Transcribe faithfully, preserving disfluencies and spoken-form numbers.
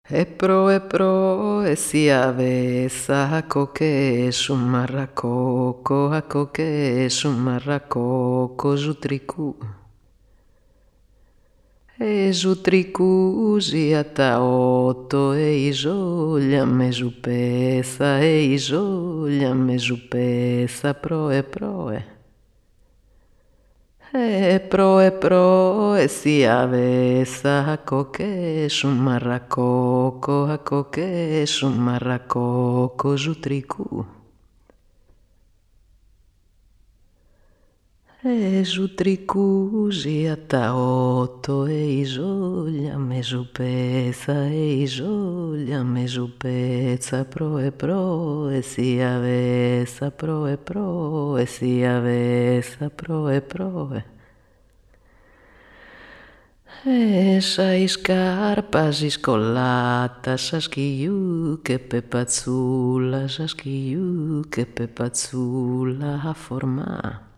E pro e pro e si avessa a coche su marracoco a coche su marracoco giutricu e giutricu giata otto e i gioglia me giù pesa e i gioglia me giù pesa pro e pro e E pro e pro e si avessa a coche su marracoco a coche su marracoco giutricu e giutricu giata otto e i gioglia me giù pesa e i gioglia me giù pesa pro e pro e si avessa pro e pro e si avessa pro e pro e E sai scarpa scollata, saschiu che pepazzulla, saschiu che pepazzulla a formà.